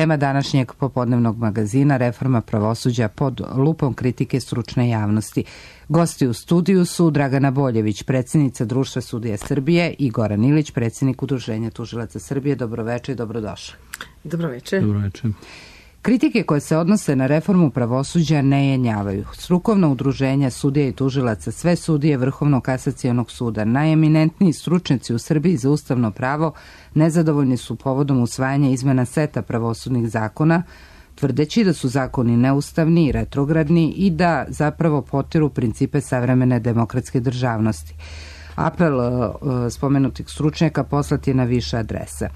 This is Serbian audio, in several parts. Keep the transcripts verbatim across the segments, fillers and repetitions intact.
Tema današnjeg popodnevnog magazina Reforma pravosuđa pod lupom kritike stručne javnosti. Gosti u studiju su Dragana Boljević, predsjednica Društva sudija Srbije, i Goran Ilić, predsjednik Udruženja tužilaca Srbije. Dobroveče i dobrodošli. Dobroveče. Dobroveče. Kritike koje se odnose na reformu pravosuđa ne jenjavaju. Strukovna udruženja sudija i tužilaca, sve sudije Vrhovnog kasacionog suda, najeminentniji stručnjaci u Srbiji za ustavno pravo nezadovoljni su povodom usvajanja izmena seta pravosudnih zakona, tvrdeći da su zakoni neustavni i retrogradni i da zapravo potiru principe savremene demokratske državnosti. Apel uh, spomenutih stručnjaka poslat je na više adresa.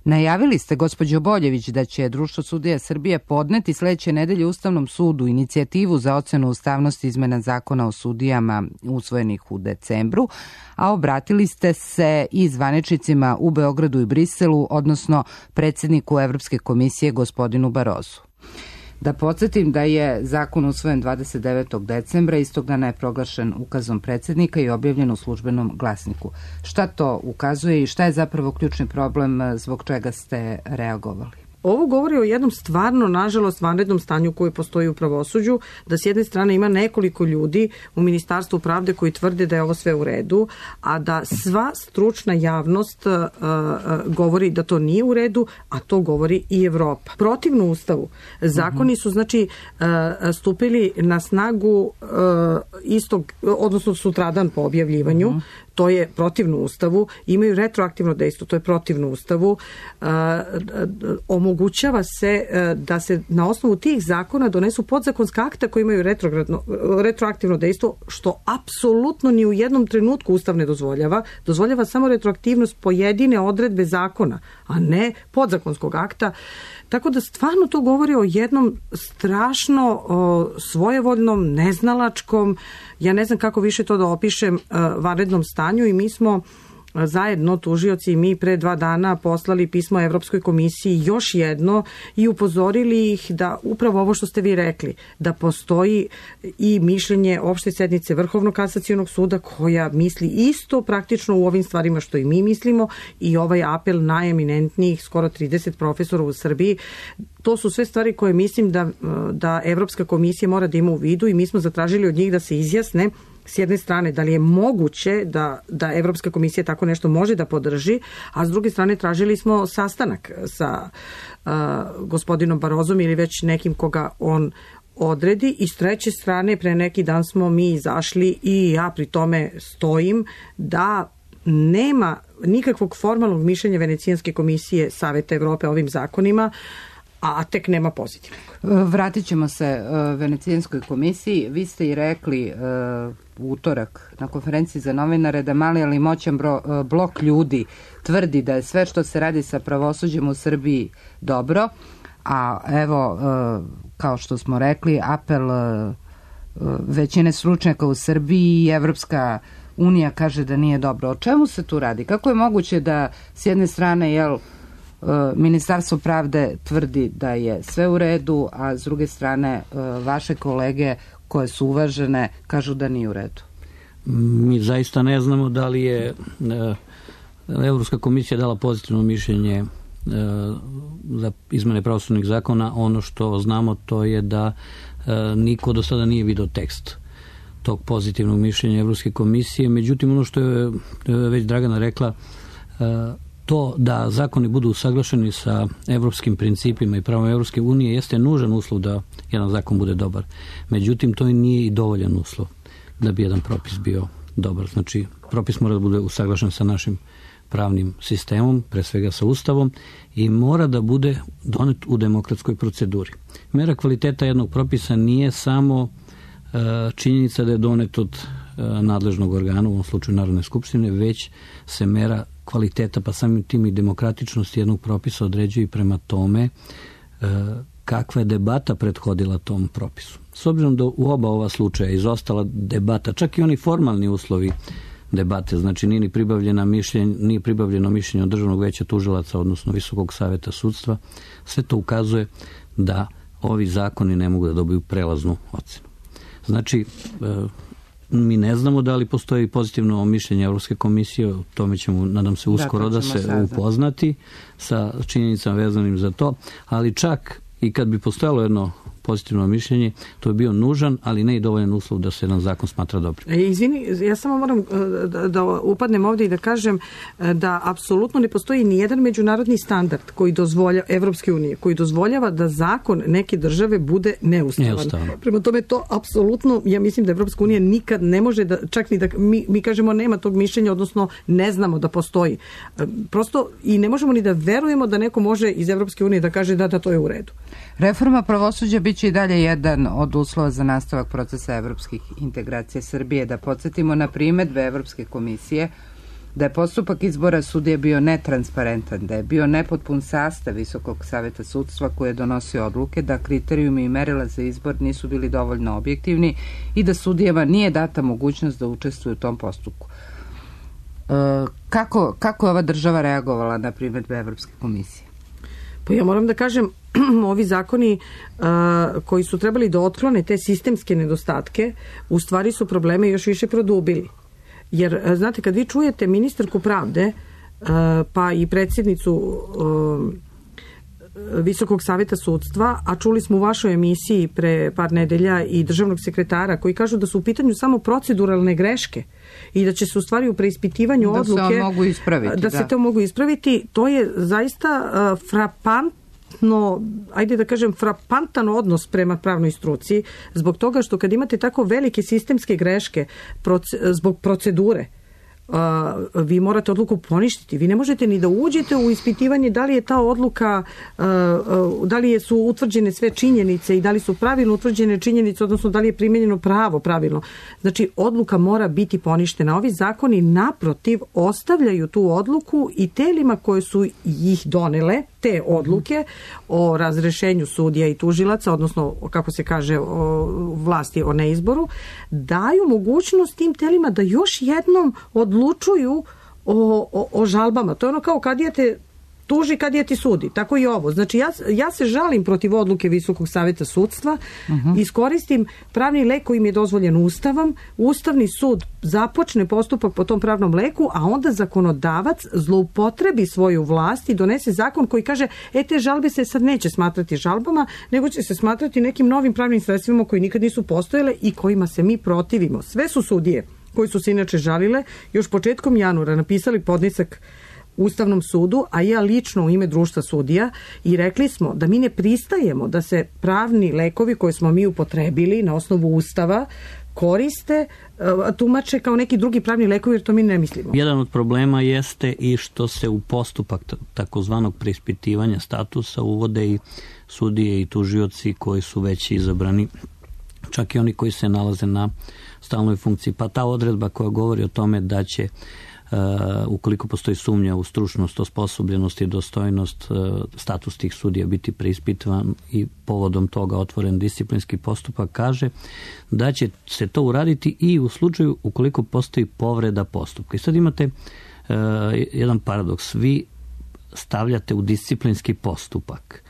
Najavili ste, gospođo Boljević, da će Društvo sudija Srbije podneti sledeće nedelje Ustavnom sudu inicijativu za ocenu ustavnosti izmena zakona o sudijama usvojenih u decembru, a obratili ste se i zvaničnicima u Beogradu i Briselu, odnosno predsjedniku Evropske komisije gospodinu Barozu. Da podsjetim da je zakon usvojen dvadeset devetog decembra, istog dana je proglašen ukazom predsjednika i objavljen u službenom glasniku. Šta to ukazuje i šta je zapravo ključni problem zbog čega ste reagovali? Ovo govori o jednom stvarno, nažalost, vanrednom stanju koji postoji u pravosuđu, da s jedne strane ima nekoliko ljudi u Ministarstvu pravde koji tvrde da je ovo sve u redu, a da sva stručna javnost uh, uh, govori da to nije u redu, a to govori i Evropa. Protivno Ustavu, zakoni su znači uh, stupili na snagu uh, istog, odnosno sutradan po objavljivanju, uh-huh. To je protivno Ustavu, imaju retroaktivno dejstvo, to je protivno Ustavu, uh, omogućava se uh, da se na osnovu tih zakona donesu podzakonska akta koji imaju retroaktivno dejstvo, što apsolutno ni u jednom trenutku Ustav ne dozvoljava. Dozvoljava samo retroaktivnost pojedine odredbe zakona, a ne podzakonskog akta. Tako da stvarno to govori o jednom strašno o, svojevoljnom, neznalačkom, ja ne znam kako više to da opišem, uh, vanrednom stanju, i mi smo zajedno, tužioci i mi, pre dva dana poslali pismo Evropskoj komisiji još jedno i upozorili ih da upravo ovo što ste vi rekli, da postoji i mišljenje opšte sednice Vrhovnog kasacionog suda koja misli isto praktično u ovim stvarima što i mi mislimo, i ovaj apel najeminentnijih skoro trideset profesora u Srbiji. To su sve stvari koje mislim da, da Evropska komisija mora da ima u vidu, i mi smo zatražili od njih da se izjasne s jedne strane da li je moguće da, da Evropska komisija tako nešto može da podrži, a s druge strane tražili smo sastanak sa uh, gospodinom Barozom ili već nekim koga on odredi, i s treće strane pre neki dan smo mi izašli, i ja pri tome stojim, da nema nikakvog formalnog mišljenja Venecijanske komisije Saveta Evrope ovim zakonima, a tek nema pozitivnog. Vratit ćemo se uh, Venecijanskoj komisiji. Vi ste i rekli uh, u utorak na konferenciji za novinare da mali ali moćan bro, uh, blok ljudi tvrdi da je sve što se radi sa pravosuđem u Srbiji dobro, a evo, uh, kao što smo rekli, apel uh, većine stručnjaka u Srbiji i Evropska unija kaže da nije dobro. O čemu se tu radi? Kako je moguće da s jedne strane, jel, Ministarstvo pravde tvrdi da je sve u redu, a s druge strane vaše kolege koje su uvažene kažu da nije u redu? Mi zaista ne znamo da li je Evropska komisija dala pozitivno mišljenje za izmene pravosudnih zakona. Ono što znamo to je da niko do sada nije vidio tekst tog pozitivnog mišljenja Evropske komisije. Međutim, ono što je već Dragana rekla, to da zakoni budu usaglašeni sa evropskim principima i pravom Evropske unije jeste nužan uslov da jedan zakon bude dobar. Međutim, to nije i dovoljan uslov da bi jedan propis bio dobar. Znači, propis mora da bude usaglašen sa našim pravnim sistemom, pre svega sa Ustavom, i mora da bude donet u demokratskoj proceduri. Mera kvaliteta jednog propisa nije samo uh, činjenica da je donet od uh, nadležnog organa, u ovom slučaju Narodne skupštine, već se mera kvaliteta, pa samim tim i demokratičnosti jednog propisa određuje i prema tome uh, kakva je debata prethodila tom propisu. S obzirom da u oba ova slučaja izostala debata, čak i oni formalni uslovi debate, znači nije ni pribavljena mišljenje, nije pribavljeno mišljenje od Državnog veća tužilaca, odnosno Visokog saveta sudstva, sve to ukazuje da ovi zakoni ne mogu da dobiju prelaznu ocenu. Znači, mi ne znamo da li postoji pozitivno mišljenje Evropske komisije, o tome ćemo, nadam se, uskoro da, da se sada upoznati sa činjenicama vezanim za to, ali čak i kad bi postojalo jedno pozitivno mišljenje, to je bio nužan, ali ne i dovoljan uslov da se jedan zakon smatra dobrim. E, izvini, ja samo moram da, da upadnem ovdje i da kažem da apsolutno ne postoji ni jedan međunarodni standard koji dozvoljava, Evropske unije, koji dozvoljava da zakon neke države bude neustavan. Neustavan. Prema tome to apsolutno, ja mislim da Evropska unija nikad ne može da, čak ni da mi, mi kažemo nema tog mišljenja, odnosno ne znamo da postoji. Prosto i ne možemo ni da verujemo da neko može iz Evropske unije da kaže da, da to je u redu. Reforma pravosuđa biće i dalje jedan od uslova za nastavak procesa evropskih integracija Srbije. Da podsjetimo na primedbe Evropske komisije da je postupak izbora sudije bio netransparentan, da je bio nepotpun sastav Visokog saveta sudstva koji je donosio odluke, da kriterijumi i merila za izbor nisu bili dovoljno objektivni i da sudijama nije data mogućnost da učestvuju u tom postupku. E, kako, kako je ova država reagovala na primedbe Evropske komisije? Pa ja moram da kažem, ovi zakoni uh, koji su trebali da otklone te sistemske nedostatke, u stvari su probleme još više produbili. Jer, znate, kad vi čujete ministarku pravde, uh, pa i predsjednicu uh, Visokog saveta sudstva, a čuli smo u vašoj emisiji pre par nedelja i državnog sekretara koji kažu da su u pitanju samo proceduralne greške i da će se u stvari u preispitivanju da odluke se mogu ispraviti, da, da se to mogu ispraviti, to je zaista uh, frapantno, ajde da kažem frapantan odnos prema pravnoj struci, zbog toga što kad imate tako velike sistemske greške proce, zbog procedure, Uh, vi morate odluku poništiti. Vi ne možete ni da uđete u ispitivanje da li je ta odluka, uh, uh, da li su utvrđene sve činjenice i da li su pravilno utvrđene činjenice, odnosno da li je primjenjeno pravo pravilno. Znači, odluka mora biti poništena. Ovi zakoni naprotiv ostavljaju tu odluku i telima koje su ih donele, te odluke o razrešenju sudija i tužilaca, odnosno, kako se kaže, o vlasti o neizboru, daju mogućnost tim telima da još jednom odlučuju o, o, o žalbama. To je ono kao kad je te tuži, kad je ti sudi. Tako i ovo. Znači, ja, ja se žalim protiv odluke Visokog saveta sudstva, uh-huh. iskoristim pravni lek koji mi je dozvoljen Ustavom, Ustavni sud započne postupak po tom pravnom leku, a onda zakonodavac zloupotrebi svoju vlast i donese zakon koji kaže, e, te žalbe se sad neće smatrati žalbama, nego će se smatrati nekim novim pravnim sredstvima koji nikad nisu postojale i kojima se mi protivimo. Sve su sudije koji su se inače žalile, još početkom januara napisali podnesak Ustavnom sudu, a ja lično u ime društva sudija, i rekli smo da mi ne pristajemo da se pravni lekovi koje smo mi upotrebili na osnovu Ustava koriste, tumače kao neki drugi pravni lekovi, jer to mi ne mislimo. Jedan od problema jeste i što se u postupak takozvanog preispitivanja statusa uvode i sudije i tužioci koji su već izabrani, čak i oni koji se nalaze na stalnoj funkciji. Pa ta odredba koja govori o tome da će Uh, ukoliko postoji sumnja u stručnost, osposobljenost i dostojnost, uh, status tih sudija biti preispitovan i povodom toga otvoren disciplinski postupak, kaže da će se to uraditi i u slučaju ukoliko postoji povreda postupka. I sad imate uh, jedan paradoks. Vi stavljate u disciplinski postupak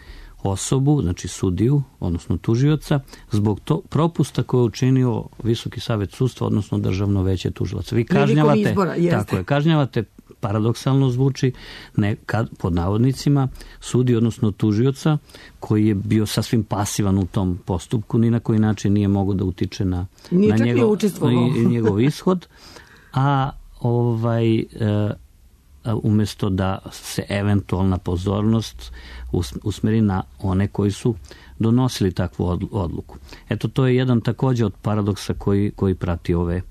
osobu, znači sudiju, odnosno tužioca, zbog to propusta koje je učinio Visoki savet sudstva, odnosno Državno veće tužilaca. Vi kažnjavate, izbora, tako je, kažnjavate, paradoksalno zvuči, ne, kad, pod navodnicima, sudi, odnosno tužioca, koji je bio sasvim pasivan u tom postupku, ni na koji način nije mogao da utiče na, nije na njegov, njegov ishod, a ovaj... E, umjesto da se eventualna pozornost usmeri na one koji su donosili takvu odluku. Eto, to je jedan također od paradoksa koji, koji prati ove,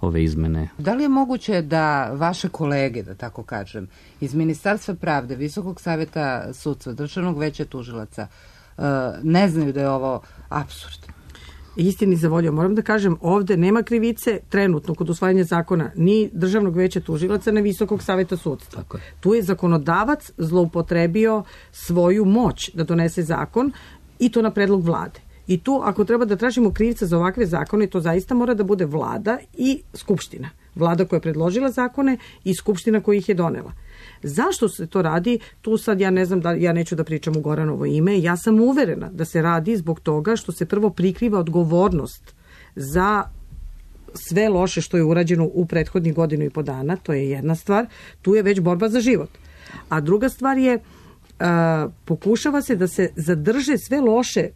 ove izmene. Da li je moguće da vaše kolege, da tako kažem, iz Ministarstva pravde, Visokog saveta sudstva, Državnog veća tužilaca, ne znaju da je ovo apsurd? Istini za volju, moram da kažem, ovde nema krivice trenutno kod usvajanja zakona ni Državnog veća tužilaca, ni Visokog saveta sudstva. Tako je. Tu je zakonodavac zloupotrebio svoju moć da donese zakon i to na predlog vlade. I tu, ako treba da tražimo krivca za ovakve zakone, to zaista mora da bude vlada i skupština. Vlada koja je predložila zakone i skupština koja ih je donela. Zašto se to radi? Tu sad ja ne znam, da ja neću da pričam u Goranovo ime. Ja sam uverena da se radi zbog toga što se prvo prikriva odgovornost za sve loše što je urađeno u prethodnih godinu i po dana, to je jedna stvar, tu je već borba za život. A druga stvar je, a, pokušava se da se zadrže sve loše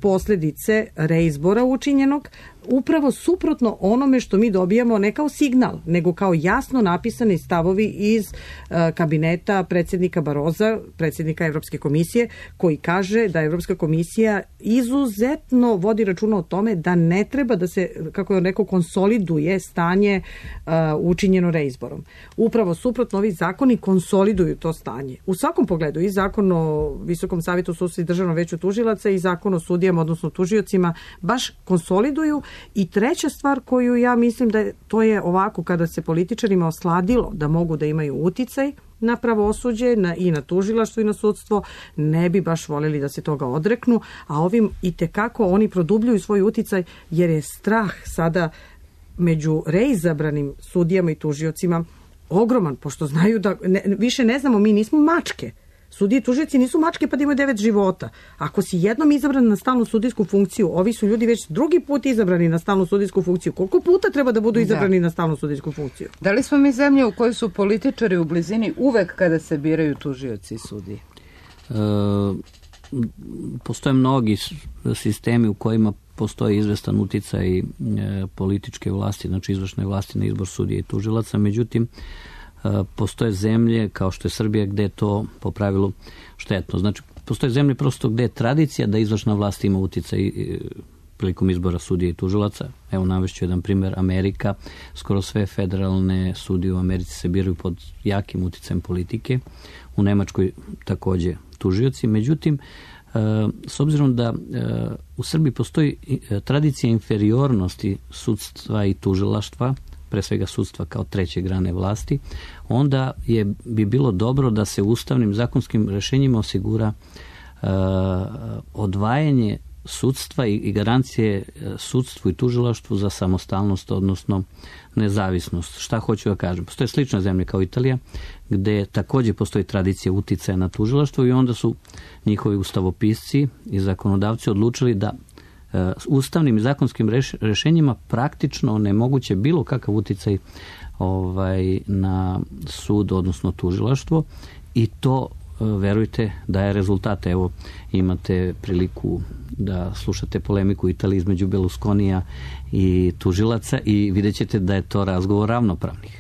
posljedice reizbora učinjenog, upravo suprotno onome što mi dobijamo ne kao signal, nego kao jasno napisani stavovi iz uh, kabineta predsjednika Baroza, predsjednika Evropske komisije, koji kaže da Evropska komisija izuzetno vodi računa o tome da ne treba da se, kako je neko, konsoliduje stanje uh, učinjeno reizborom. Upravo suprotno, ovi zakoni konsoliduju to stanje. U svakom pogledu, i zakon o Visokom savjetu sudstva i Državnom veću tužilaca i zakon o sudijama, odnosno tužiocima, baš konsoliduju. I treća stvar koju ja mislim da je, to je ovako, kada se političarima osladilo da mogu da imaju uticaj na pravosuđe na, i na tužilaštvo i na sudstvo, ne bi baš voljeli da se toga odreknu, a ovim i tekako oni produbljuju svoj uticaj jer je strah sada među reizabranim sudijama i tužiocima ogroman, pošto znaju da ne, više ne znamo, mi nismo mačke. Sudije i tužioci nisu mačke pa da imaju devet života. Ako si jednom izabran na stalnu sudijsku funkciju, ovi su ljudi već drugi put izabrani na stalnu sudijsku funkciju. Koliko puta treba da budu izabrani da. na stalnu sudijsku funkciju? Da li smo mi zemlje u kojoj su političari u blizini uvek kada se biraju tužioci i sudije? E, postoje mnogi sistemi u kojima postoji izvestan uticaj e, političke vlasti, znači izvršne vlasti na izbor sudija i tužilaca, međutim postoje zemlje kao što je Srbija gde je to po pravilu štetno. Znači, postoje zemlje prosto gde je tradicija da izvršna vlast ima uticaj prilikom izbora sudija i tužilaca. Evo, navešću jedan primer, Amerika. Skoro sve federalne sudije u Americi se biraju pod jakim uticajem politike. U Nemačkoj takođe tužioci. Međutim, s obzirom da u Srbiji postoji tradicija inferiornosti sudstva i tužilaštva, pre svega sudstva kao treće grane vlasti, onda je, bi bilo dobro da se ustavnim zakonskim rešenjima osigura uh, odvajanje sudstva i, i garancije sudstvu i tužilaštvu za samostalnost, odnosno nezavisnost. Šta hoću da kažem? Postoje slične zemlje kao Italija, gde takođe postoji tradicija uticaja na tužilaštvo i onda su njihovi ustavopisci i zakonodavci odlučili da ustavnim i zakonskim reš, rešenjima praktično onemoguće bilo kakav uticaj ovaj, na sud, odnosno tužilaštvo, i to, verujte, daje rezultate. Evo, imate priliku da slušate polemiku u Italiji između Berlusconija i tužilaca i vidjet ćete da je to razgovor ravnopravnih.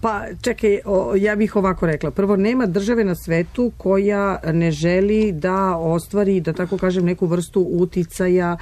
Pa čekaj, o, ja bih ovako rekla. Prvo, nema države na svetu koja ne želi da ostvari, da tako kažem, neku vrstu uticaja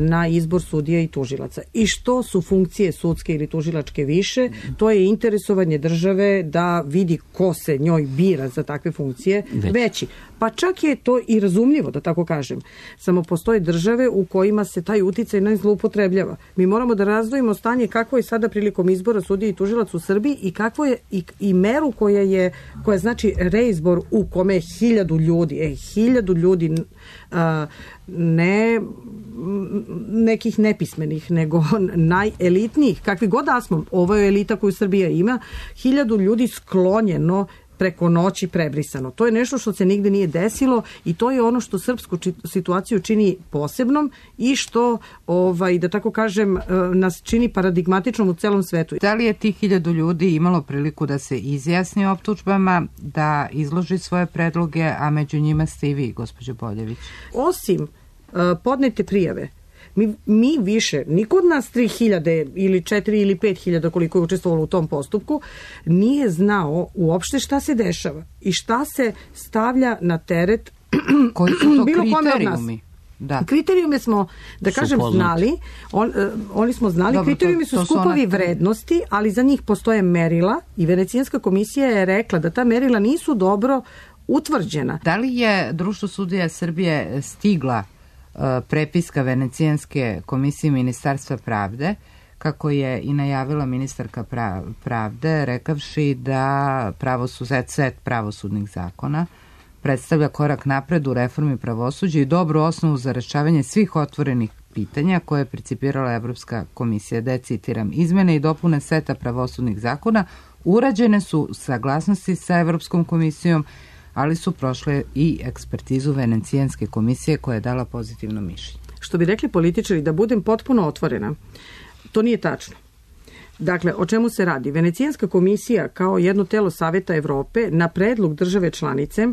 na izbor sudija i tužilaca. I što su funkcije sudske ili tužilačke više, to je interesovanje države da vidi ko se njoj bira za takve funkcije Već. veći. Pa čak je to i razumljivo, da tako kažem. Samo postoje države u kojima se taj uticaj ne zloupotrebljava. Mi moramo da razdvojimo stanje kakvo je sada prilikom izbora sudija i tužilaca u Srbiji i kakvo je i, i meru koja je, koja znači reizbor u kome je hiljadu ljudi, e, hiljadu ljudi a, ne nekih nepismenih, nego najelitnijih, kakvi god da smo, ovo je elita koju Srbija ima, hiljadu ljudi sklonjeno preko noći prebrisano. To je nešto što se nigde nije desilo i to je ono što srpsku situaciju čini posebnom i što, ovaj, da tako kažem, nas čini paradigmatičnom u celom svetu. Da li je tih hiljadu ljudi imalo priliku da se izjasni o optužbama, da izloži svoje predloge, a među njima ste i vi, gospođo Boljević? Osim uh, podnete prijave, Mi, mi više, niko od nas tri hiljade ili četiri ili pet hiljada koliko je učestvovalo u tom postupku, nije znao uopšte šta se dešava i šta se stavlja na teret koji su to bilo kriterijumi. Da. Kriterijume smo, da kažem, znali, on, oni smo znali, Dobro, kriterijumi su skupovi ona... vrednosti, ali za njih postoje merila i Venecijanska komisija je rekla da ta merila nisu dobro utvrđena. Da li je Društvo sudija Srbije stigla prepiska Venecijanske komisije Ministarstva pravde, kako je i najavila ministarka pravde, rekavši da pravosud, set pravosudnih zakona predstavlja korak napred u reformi pravosuđa i dobru osnovu za rešavanje svih otvorenih pitanja koje je principirala Evropska komisija, da je, citiram, izmene i dopune seta pravosudnih zakona urađene su saglasnosti sa Evropskom komisijom, ali su prošle i ekspertizu Venecijanske komisije koja je dala pozitivno mišljenje. Što bi rekli političari, da budem potpuno otvorena, to nije tačno. Dakle, o čemu se radi? Venecijanska komisija kao jedno telo Saveta Evrope na predlog države članice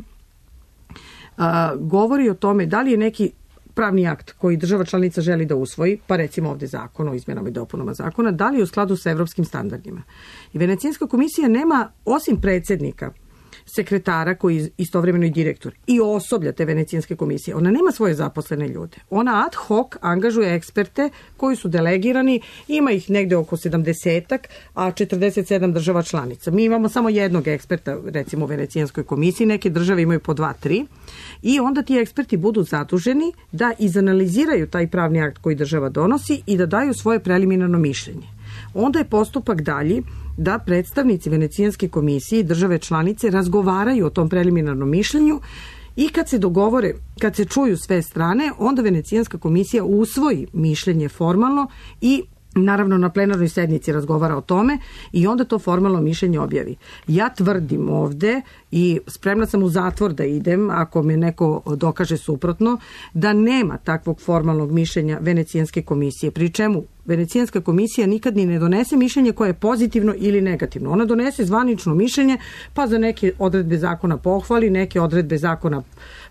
a, govori o tome da li je neki pravni akt koji država članica želi da usvoji, pa recimo ovde zakon o izmjenama i dopunama zakona, da li je u skladu sa evropskim standardima. I Venecijanska komisija nema, osim predsjednika, sekretara koji je istovremeno i direktor i osoblja te Venecijanske komisije. Ona nema svoje zaposlene ljude. Ona ad hoc angažuje eksperte koji su delegirani, ima ih negde oko sedamdesetak, a četrdeset sedam država članica. Mi imamo samo jednog eksperta, recimo u Venecijanskoj komisiji, neke države imaju po dva, tri, i onda ti eksperti budu zaduženi da izanaliziraju taj pravni akt koji država donosi i da daju svoje preliminarno mišljenje. Onda je postupak dalji da predstavnici Venecijanske komisije i države članice razgovaraju o tom preliminarnom mišljenju i kad se dogovore, kad se čuju sve strane, onda Venecijanska komisija usvoji mišljenje formalno i naravno na plenarnoj sednici razgovara o tome i onda to formalno mišljenje objavi. Ja tvrdim ovde i spremna sam u zatvor da idem ako me neko dokaže suprotno, da nema takvog formalnog mišljenja Venecijanske komisije, pri čemu Venecijanska komisija nikad ni ne donese mišljenje koje je pozitivno ili negativno. Ona donese zvanično mišljenje, pa za neke odredbe zakona pohvali, neke odredbe zakona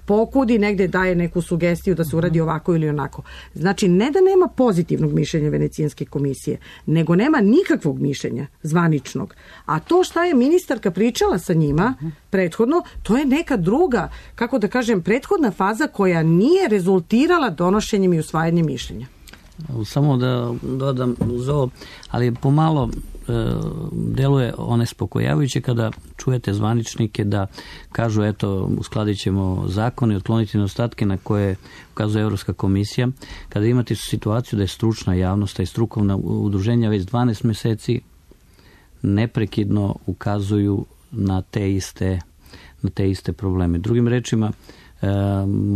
pokudi, negde daje neku sugestiju da se uradi ovako ili onako. Znači, ne da nema pozitivnog mišljenja Venecijanske komisije, nego nema nikakvog mišljenja zvaničnog. A to šta je ministarka pričala sa njima prethodno, to je neka druga, kako da kažem, prethodna faza koja nije rezultirala donošenjem i usvajanjem mišljenja. Samo da dodam uz ovo, ali pomalo e, deluje onespokojavajuće kada čujete zvaničnike da kažu eto uskladit ćemo zakon i otkloniti nedostatke na koje ukazuje Evropska komisija, kada imate situaciju da je stručna javnost i strukovna udruženja već dvanaest meseci neprekidno ukazuju na te iste, na te iste probleme. Drugim rečima, E,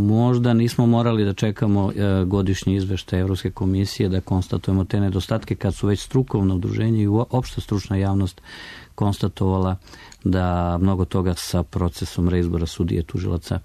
možda nismo morali da čekamo e, godišnji izveštaj Evropske komisije da konstatujemo te nedostatke kad su već strukovno udruženje i opšta stručna javnost konstatovala da mnogo toga sa procesom reizbora sudije tužilaca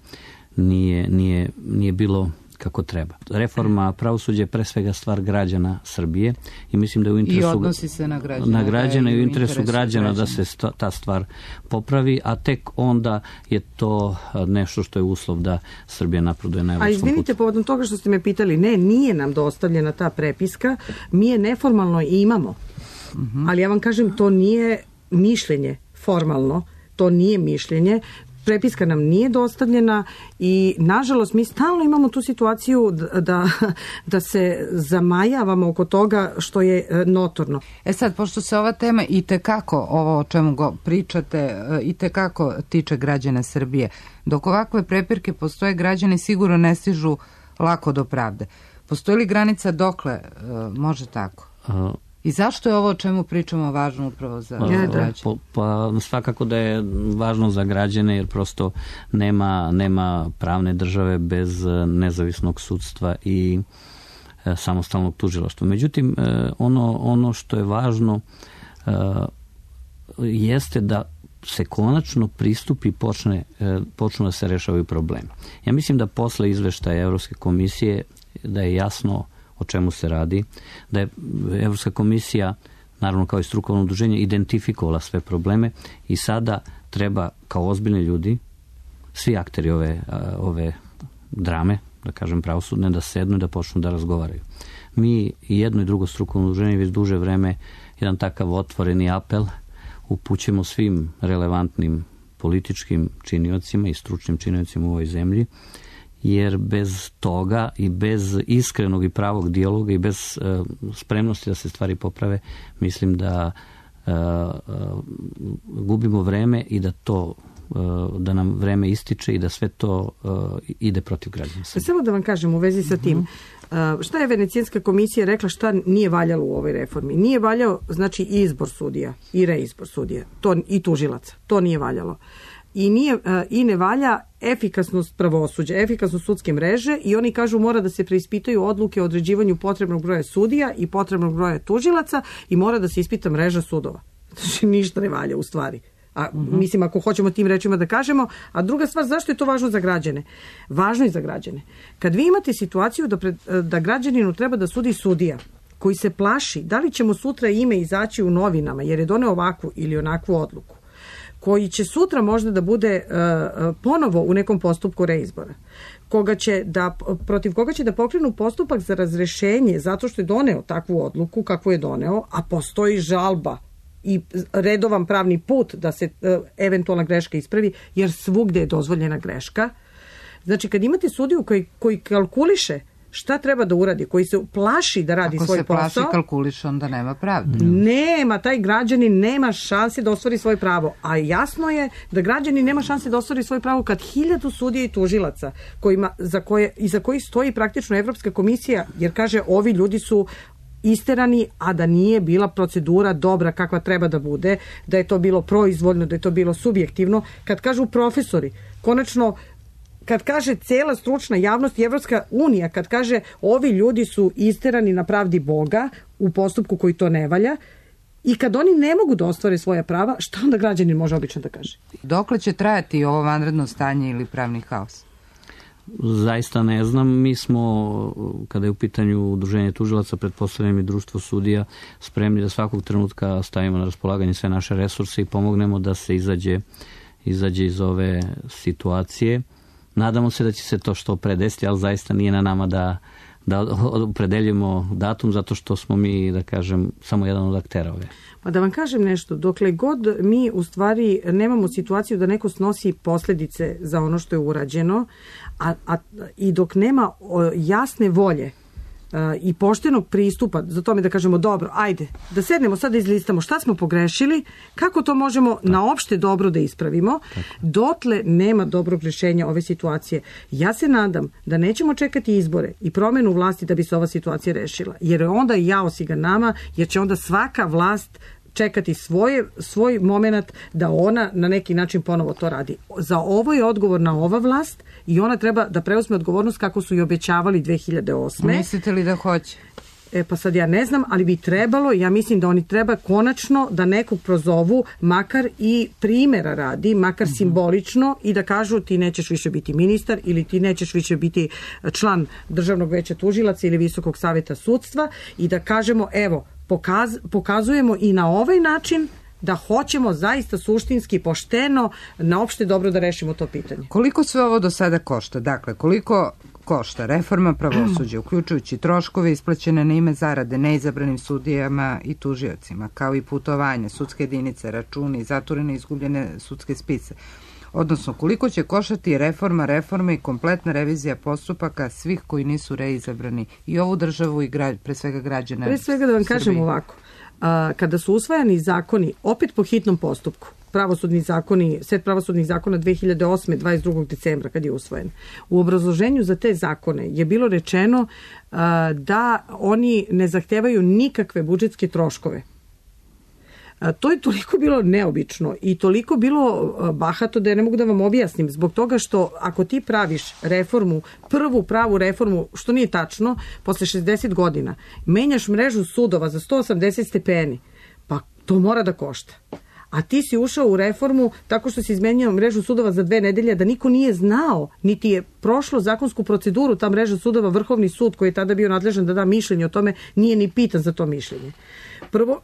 nije, nije, nije bilo kako treba. Reforma pravosuđa je pre svega stvar građana Srbije i mislim da je u interesu, I odnosi se na građana, na građane i u interesu, interesu građana, građana da se ta stvar popravi, a tek onda je to nešto što je uslov da Srbija napreduje na evropskom putu. A izvinite, povodom toga što ste me pitali, ne, nije nam dostavljena ta prepiska, mi je neformalno imamo, uh-huh. ali ja vam kažem, to nije mišljenje formalno, to nije mišljenje, prepiska nam nije dostavljena i nažalost mi stalno imamo tu situaciju da, da se zamajavamo oko toga što je notorno. E sad, pošto se ova tema i tekako, ovo o čemu go pričate, i tekako tiče građana Srbije, dok ovakve prepirke postoje, građani sigurno ne stižu lako do pravde. Postoji li granica dokle može tako? Uh. I zašto je ovo o čemu pričamo važno upravo za ja, građane? Pa, pa svakako da je važno za građane jer prosto nema, nema pravne države bez nezavisnog sudstva i e, samostalnog tužilaštva. Međutim, e, ono, ono što je važno e, jeste da se konačno pristupi i počne, e, počnu da se rešavaju problemi. Ja mislim da posle izveštaja Evropske komisije da je jasno o čemu se radi, da je Evropska komisija, naravno kao i strukovno udruženje, identifikovala sve probleme i sada treba kao ozbiljni ljudi, svi akteri ove, ove drame, da kažem pravosudne, da sednu i da počnu da razgovaraju. Mi i jedno i drugo strukovno udruženje već duže vreme jedan takav otvoreni apel upućujemo svim relevantnim političkim činiocima i stručnim činiocima u ovoj zemlji, jer bez toga i bez iskrenog i pravog dijaloga i bez uh, spremnosti da se stvari poprave, mislim da uh, uh, gubimo vreme i da to uh, da nam vreme ističe i da sve to uh, ide protiv građana. Samo da vam kažem u vezi sa tim, uh, šta je Venecijanska komisija rekla šta nije valjalo u ovoj reformi? Nije valjao, znači, i izbor sudija i reizbor sudija to, i tužilaca. To nije valjalo. I, nije, i ne valja efikasnost pravosuđa, efikasnost sudske mreže i oni kažu mora da se preispitaju odluke o određivanju potrebnog broja sudija i potrebnog broja tužilaca i mora da se ispita mreža sudova. Znači ništa ne valja u stvari. A, uh-huh. Mislim, ako hoćemo tim rečima da kažemo. A druga stvar, zašto je to važno za građane? Važno je za građane. Kad vi imate situaciju da, pred, da građaninu treba da sudi sudija koji se plaši da li će mu sutra ime izaći u novinama jer je doneo ovakvu ili onakvu odluku, koji će sutra možda da bude uh, ponovo u nekom postupku reizbora, koga će da, protiv koga će da pokrenu postupak za razrešenje zato što je doneo takvu odluku kakvu je doneo, a postoji žalba i redovan pravni put da se uh, eventualna greška ispravi, jer svugde je dozvoljena greška. Znači, kad imate sudiju koji, koji kalkuliše šta treba da uradi, koji se plaši da radi Ako svoj posao... Ako se plaši, kalkuliše, onda nema pravde. Nema, taj građanin nema šanse da ostvari svoje pravo. A jasno je da građanin nema šanse da ostvari svoje pravo kad hiljadu sudija i tužilaca kojima, za koje, i za koji stoji praktično Evropska komisija, jer kaže ovi ljudi su isterani, a da nije bila procedura dobra kakva treba da bude, da je to bilo proizvoljno, da je to bilo subjektivno. Kad kažu profesori, konačno, kad kaže cela stručna javnost i Evropska unija, kad kaže ovi ljudi su isterani na pravdi Boga u postupku koji to ne valja, i kad oni ne mogu da ostvare svoja prava, šta onda građanin može obično da kaže? Dokle će trajati ovo vanredno stanje ili pravni haos? Zaista ne znam. Mi smo, kada je u pitanju udruženje tužilaca, pretpostavljam i društvo sudija, spremni da svakog trenutka stavimo na raspolaganje sve naše resurse i pomognemo da se izađe, izađe iz ove situacije. Nadamo se da će se to što pre desiti, ali zaista nije na nama da, da opredeljujemo datum, zato što smo mi, da kažem, samo jedan od aktera ove. Pa da vam kažem nešto, dokle god mi u stvari nemamo situaciju da neko snosi posljedice za ono što je urađeno, a, a, i dok nema o, jasne volje i poštenog pristupa za tome da kažemo dobro, ajde, da sednemo sad da izlistamo šta smo pogrešili, kako to možemo Tako. na opšte dobro da ispravimo, Tako. dotle nema dobrog rješenja ove situacije. Ja se nadam da nećemo čekati izbore i promenu vlasti da bi se ova situacija rešila, jer onda je jaos i ga nama, jer će onda svaka vlast čekati svoje, svoj moment da ona na neki način ponovo to radi. Za ovo je odgovorna ova vlast i ona treba da preuzme odgovornost kako su i obećavali dve hiljade osme. Mislite li da hoće? E pa sad ja ne znam, ali bi trebalo, ja mislim da oni treba konačno da nekog prozovu, makar i primjera radi, makar uh-huh. simbolično, i da kažu ti nećeš više biti ministar ili ti nećeš više biti član Državnog veća tužilaca ili Visokog saveta sudstva, i da kažemo evo, Pokaz, pokazujemo i na ovaj način da hoćemo zaista suštinski, pošteno, na opšte dobro da rešimo to pitanje. Koliko sve ovo do sada košta? Dakle, koliko košta reforma pravosuđa, uključujući troškove isplaćene na ime zarade neizabranim sudijama i tužiocima, kao i putovanje, sudske jedinice, računi, zatvorene i izgubljene sudske spise? Odnosno, koliko će koštati reforma reforme i kompletna revizija postupaka svih koji nisu reizabrani i ovu državu i gra, pre svega građana Pre svega da vam Srbije. Kažem ovako, a, kada su usvajani zakoni, opet po hitnom postupku, pravosudni zakoni, set pravosudnih zakona dve hiljade osme, dvadeset drugog decembra kad je usvojen. U obrazloženju za te zakone je bilo rečeno a, da oni ne zahtevaju nikakve budžetske troškove. To je toliko bilo neobično i toliko bilo bahato da ja ne mogu da vam objasnim, zbog toga što ako ti praviš reformu, prvu pravu reformu, što nije tačno, posle šezdeset godina, menjaš mrežu sudova za sto osamdeset stepeni, pa to mora da košta. A ti si ušao u reformu tako što si izmenjao mrežu sudova za dve nedelje, da niko nije znao, niti je prošlo zakonsku proceduru ta mreža sudova. Vrhovni sud koji je tada bio nadležan da da mišljenje o tome nije ni pitan za to mišljenje. Prvo,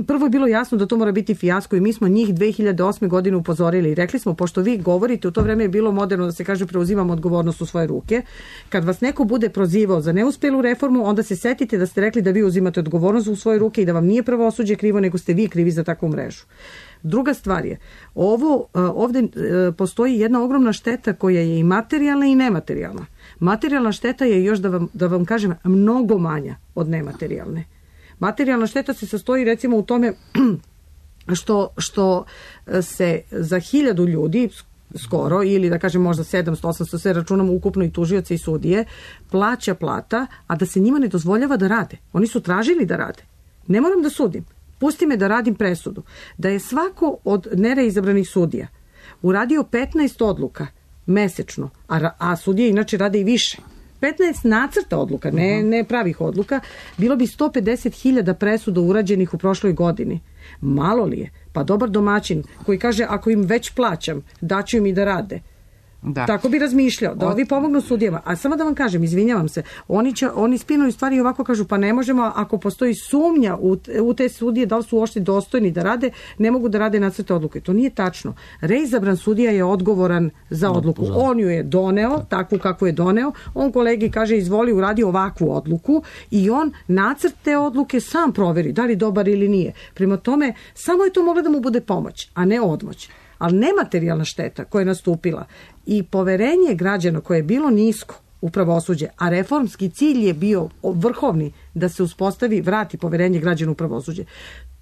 prvo je bilo jasno da to mora biti fijasko i mi smo njih dve hiljade osme godine upozorili i rekli smo, pošto vi govorite, u to vreme je bilo moderno da se kaže preuzimamo odgovornost u svoje ruke, kad vas neko bude prozivao za neuspelu reformu, onda se setite da ste rekli da vi uzimate odgovornost u svoje ruke i da vam nije pravosuđe krivo, nego ste vi krivi za takvu mrežu. Druga stvar je, ovo, ovde postoji jedna ogromna šteta koja je i materijalna i nematerijalna. Materijalna šteta je, još da vam, da vam kažem, mnogo manja od nematerijalne. Materijalna šteta se sastoji recimo u tome što, što se za hiljadu ljudi skoro, ili da kažem možda sedamsto, osamsto, sve računamo ukupno i tužioce i sudije, plaća plata, a da se njima ne dozvoljava da rade. Oni su tražili da rade. Ne moram da sudim. Pusti me da radim presudu. Da je svako od nereizabranih sudija uradio petnaest odluka mesečno, a, a sudije inače rade i više, petnaest nacrta odluka, ne, ne pravih odluka, bilo bi sto pedeset hiljada presuda urađenih u prošloj godini. Malo li je? Pa dobar domaćin koji kaže ako im već plaćam, daću im i da rade. Da. Tako bi razmišljao, da ovi pomognu sudijama. A samo da vam kažem, izvinjavam se, oni, će, oni spinuju stvari i ovako kažu, pa ne možemo, ako postoji sumnja u, u te sudije, da li su uopšte dostojni da rade, ne mogu da rade nacrte odluke. To nije tačno. Reizabran sudija je odgovoran za odluku. On ju je doneo, takvu kakvu je doneo, on kolegi kaže, izvoli, uradi ovakvu odluku i on nacrt te odluke sam proveri, da li dobar ili nije. Prema tome, samo je to mogla da mu bude pomoć, a ne odmoć. Ali nematerijalna šteta koja je nastupila i poverenje građana koje je bilo nisko u pravosuđe, a reformski cilj je bio vrhovni da se uspostavi, vrati poverenje građana u pravosuđe,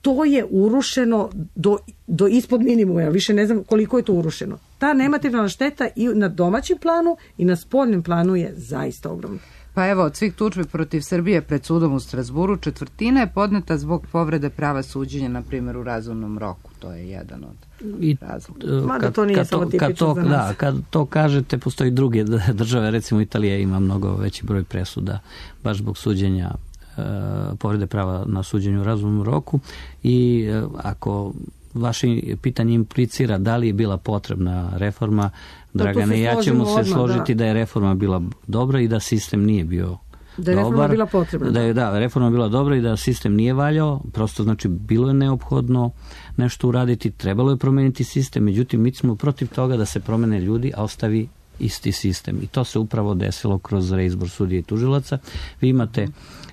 to je urušeno do, do ispod minimuma, ja više ne znam koliko je to urušeno. Ta nematerijalna šteta i na domaćem planu i na spoljnom planu je zaista ogromna. Pa evo, od svih tužbi protiv Srbije pred sudom u Strazburu, četvrtina je podneta zbog povrede prava suđenja, na primjer, u razumnom roku. To je jedan od razloga. Mada to nije samo tipično za nas. Da, kad to kažete, postoji druge države, recimo Italija ima mnogo veći broj presuda, baš zbog suđenja, e, povrede prava na suđenju u razumnom roku i e, ako vaše pitanje implicira da li je bila potrebna reforma, Dragane, ja ćemo se odmah, složiti da. da je reforma bila dobra i da sistem nije bio da je dobar. Reforma bila potrebna. Da je da, reforma bila dobra i da sistem nije valjao, prosto znači bilo je neophodno nešto uraditi, trebalo je promeniti sistem, međutim mi smo protiv toga da se promene ljudi, a ostavi isti sistem. I to se upravo desilo kroz reizbor sudija i tužilaca. Vi imate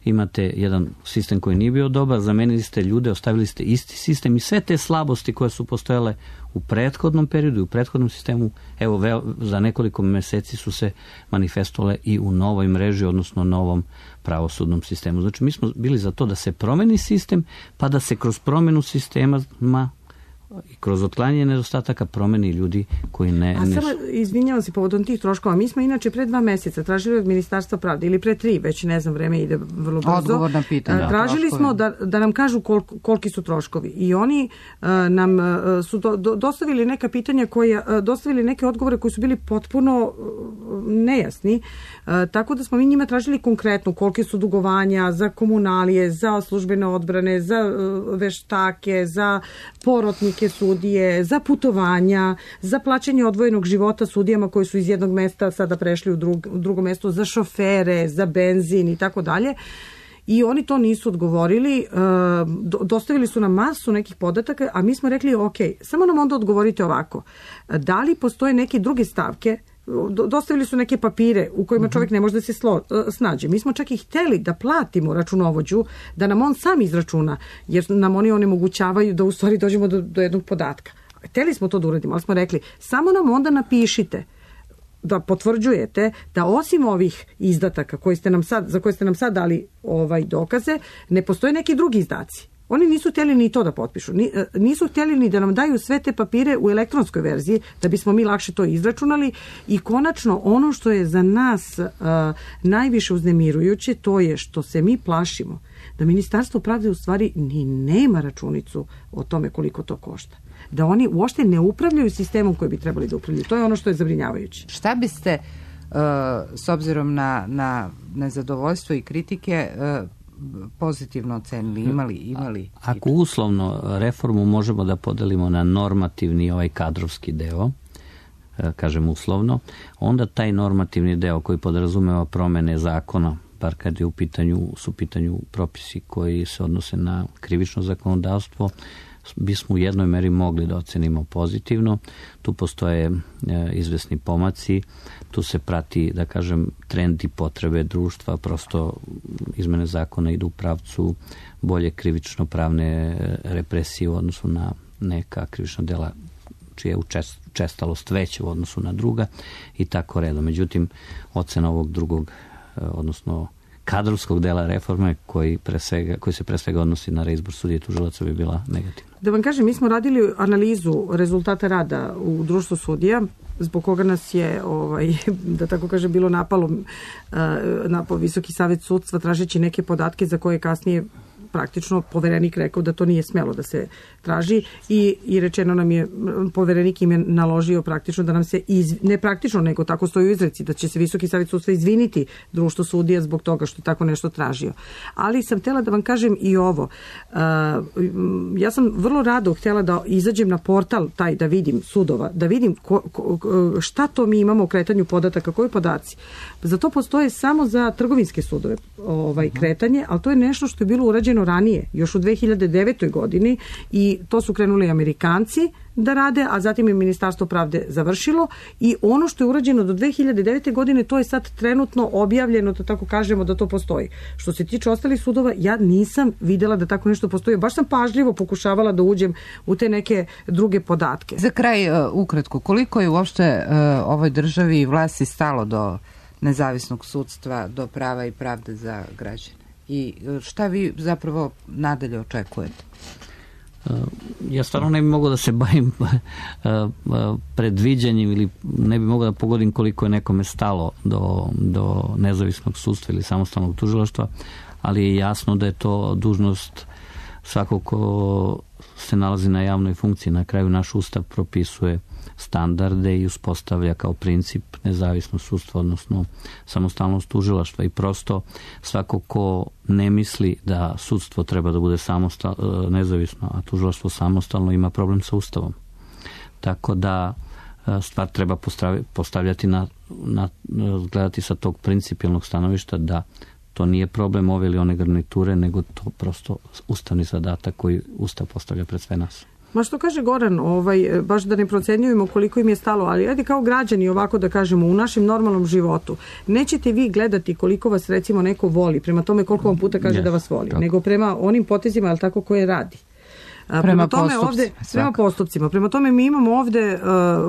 imate jedan sistem koji nije bio dobar, zamenili ste ljude, ostavili ste isti sistem i sve te slabosti koje su postojale u prethodnom periodu i u prethodnom sistemu, evo ve, za nekoliko meseci su se manifestovale i u novoj mreži, odnosno novom pravosudnom sistemu. Znači mi smo bili za to da se promeni sistem, pa da se kroz promenu sistema i kroz otklanjanje nedostataka promeni ljudi koji ne... A samo, izvinjavam se povodom tih troškova, mi smo inače pre dva meseca tražili od Ministarstva pravde, ili pre tri, već ne znam, vreme ide vrlo brzo. Odgovor na pitanje. Tražili smo da, da nam kažu kol, koliki su troškovi i oni uh, nam uh, su do, do, dostavili neka pitanja koje, uh, dostavili neke odgovore koji su bili potpuno uh, nejasni, uh, tako da smo mi njima tražili konkretno kolike su dugovanja za komunalije, za službene odbrane, za uh, veštake, za porotnike sudije, za putovanja, za plaćanje odvojenog života sudijama koji su iz jednog mesta sada prešli u, drug, u drugo mesto, za šofere, za benzin i tako dalje. I oni to nisu odgovorili, dostavili su nam masu nekih podataka, a mi smo rekli, ok, samo nam onda odgovorite ovako. Da li postoje neke druge stavke, dostavili su neke papire u kojima čovjek ne može da se slo, snađe. Mi smo čak i hteli da platimo računovođu, da nam on sam izračuna, jer nam oni onemogućavaju da u stvari dođemo do, do jednog podatka. Hteli smo to da uradimo, ali smo rekli, samo nam onda napišite da potvrđujete da osim ovih izdataka koji ste nam sad, za koje ste nam sad dali ovaj dokaze, ne postoje neki drugi izdaci. Oni nisu htjeli ni to da potpišu. Nisu htjeli ni da nam daju sve te papire u elektronskoj verziji, da bismo mi lakše to izračunali. I konačno, ono što je za nas uh, najviše uznemirujuće, to je što se mi plašimo da Ministarstvo pravde u stvari ni nema računicu o tome koliko to košta. Da oni uopšte ne upravljaju sistemom koji bi trebali da upravljaju. To je ono što je zabrinjavajuće. Šta biste, uh, s obzirom na, na nezadovoljstvo i kritike, uh, pozitivno ocenili, imali, imali. Ako uslovno reformu možemo da podelimo na normativni ovaj kadrovski deo, kažem uslovno, onda taj normativni deo koji podrazumeva promene zakona, bar kad je u pitanju, su u pitanju propisi koji se odnose na krivično zakonodavstvo, bismo u jednoj meri mogli da ocenimo pozitivno. Tu postoje e, izvesni pomaci, tu se prati, da kažem, trend i potrebe društva, prosto izmene zakona idu u pravcu bolje krivično-pravne represije u odnosu na neka krivična dela čija je učestalost veća u odnosu na druga i tako redom. Međutim, ocena ovog drugog, odnosno kadrovskog dela reforme koji, pre svega, koji se pre svega odnosi na reizbor sudija i tužilaca bi bila negativna. Da vam kažem, mi smo radili analizu rezultata rada u društvu sudija, zbog koga nas je, ovaj, da tako kaže, bilo napalo napao Visoki savet sudstva tražeći neke podatke za koje kasnije praktično poverenik rekao da to nije smelo da se traži i, i rečeno nam je, poverenik im je naložio praktično da nam se, iz, ne praktično, nego tako stoji u izreci, da će se Visoki savet sudstva izviniti društvo sudija zbog toga što je tako nešto tražio. Ali sam htjela da vam kažem i ovo. Uh, ja sam vrlo rado htjela da izađem na portal taj da vidim sudova, da vidim ko, ko, šta to mi imamo u kretanju podataka, koji podaci. Za to postoje samo za trgovinske sudove ovaj, kretanje, ali to je nešto što je bilo urađeno ranije, još u dve hiljade devetoj godini i to su krenuli Amerikanci da rade, a zatim je Ministarstvo pravde završilo i ono što je urađeno do dve hiljade devete godine, to je sad trenutno objavljeno, da tako kažemo da to postoji. Što se tiče ostalih sudova, ja nisam videla da tako nešto postoji. Baš sam pažljivo pokušavala da uđem u te neke druge podatke. Za kraj, uh, ukratko, koliko je uopšte uh, ovoj državi i vlasti stalo do nezavisnog sudstva, do prava i pravde za građane? I šta vi zapravo nadalje očekujete? Ja stvarno ne bi mogao da se bavim predviđanjem ili ne bi mogao da pogodim koliko je nekome stalo do, do nezavisnog sudstva ili samostalnog tužilaštva, ali je jasno da je to dužnost svakog ko se nalazi na javnoj funkciji. Na kraju naš ustav propisuje standarde i uspostavlja kao princip nezavisnost sudstva, odnosno samostalnost tužilaštva i prosto svako ko ne misli da sudstvo treba da bude samostal, nezavisno, a tužilaštvo samostalno, ima problem sa ustavom. Tako da stvar treba postavljati na, na gledati sa tog principijelnog stanovišta da to nije problem ove ili one garniture, nego to prosto ustavni zadatak koji ustav postavlja pred sve nas. Ma što kaže Goran, ovaj, baš da ne procenjujemo koliko im je stalo, ali ajde kao građani ovako da kažemo u našem normalnom životu. Nećete vi gledati koliko vas recimo neko voli, prema tome koliko vam puta kaže yes, da vas voli, tako. Nego prema onim potezima, ali tako koje radi. Prema, prema tome ovde, prema postupcima. Prema tome mi imamo ovde uh,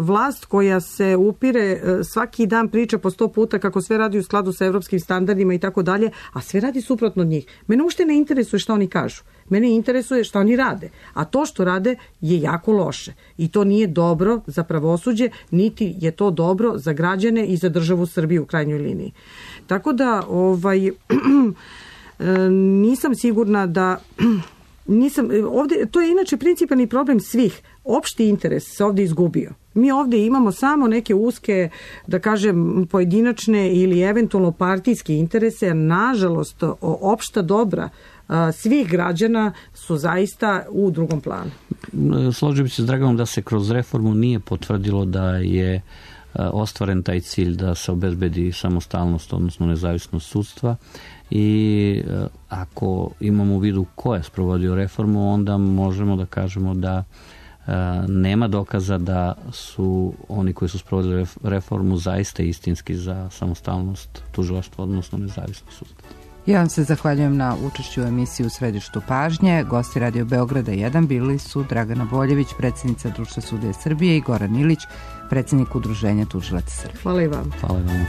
vlast koja se upire, uh, svaki dan priča po sto puta kako sve radi u skladu sa evropskim standardima i tako dalje, a sve radi suprotno od njih. Mene uopšte ne interesuje šta oni kažu. Mene interesuje šta oni rade. A to što rade je jako loše. I to nije dobro za pravosuđe, niti je to dobro za građane i za državu Srbiju u krajnjoj liniji. Tako da ovaj, nisam sigurna da... Nisam, ovde, to je inače principalni problem svih. Opšti interes se ovde izgubio. Mi ovde imamo samo neke uske, da kažem, pojedinačne ili eventualno partijske interese, a nažalost opšta dobra svih građana su zaista u drugom planu. Složio bi se s Draganom da se kroz reformu nije potvrdilo da je ostvaren taj cilj da se obezbedi samostalnost, odnosno nezavisnost sudstva. I ako imamo u vidu ko je sprovodio reformu, onda možemo da kažemo da nema dokaza da su oni koji su sprovodili reformu zaista istinski za samostalnost tužilaštva, odnosno nezavisnost sudstva. Ja vam se zahvaljujem na učešću u emisiji U središtu pažnje. Gosti Radio Beograda jedan bili su Dragana Boljević, predsjednica Društva sudija Srbije, i Goran Ilić, predsjednik Udruženja tužilaca Srbije. Hvala i vam. Hvala i vam.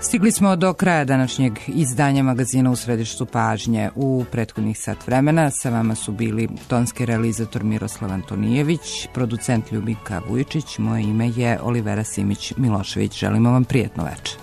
Stigli smo do kraja današnjeg izdanja magazina U središtu pažnje. U prethodnih sat vremena sa vama su bili tonski realizator Miroslav Antonijević, producent Ljubinka Vujičić, moje ime je Olivera Simić Milošević. Želimo vam prijatno večer.